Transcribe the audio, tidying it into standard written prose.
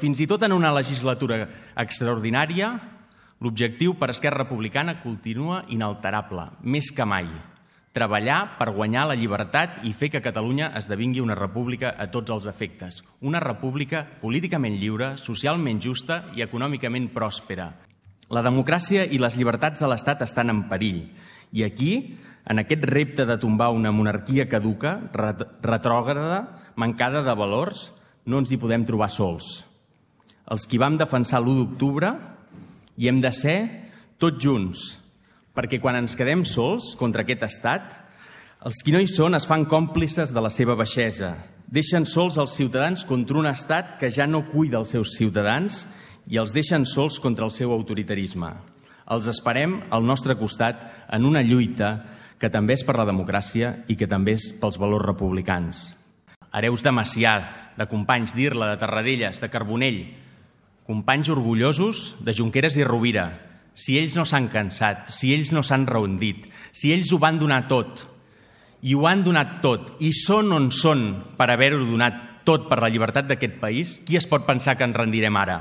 fins i tot en una legislatura extraordinària, l'objectiu per Esquerra Republicana continua inalterable, més que mai. Treballar per guanyar la llibertat i fer que Catalunya esdevingui una república a tots els efectes. Una república políticament lliure, socialment justa i econòmicament pròspera. La democràcia i les llibertats de l'Estat estan en perill. I aquí, en aquest repte de tombar una monarquia caduca, retrògrada, mancada de valors, no ens hi podem trobar sols. Els qui vam defensar l'1 d'octubre hi hem de ser tots junts, perquè quan ens quedem sols contra aquest estat, els qui no hi són es fan còmplices de la seva baixesa. Deixen sols els ciutadans contra un estat que ja no cuida els seus ciutadans i els deixen sols contra el seu autoritarisme. Els esperem al nostre costat en una lluita que també és per la democràcia i que també és pels valors republicans. Hereus de Macià, de Companys, d'Irla, de Tarradellas, de Carbonell, companys orgullosos de Junqueras i Rovira. Si ells no s'han cansat, si ells no s'han rendit, si ells ho van donar tot, i ho han donat tot, i són on són per haver-ho donat tot per la llibertat d'aquest país, qui es pot pensar que ens rendirem ara?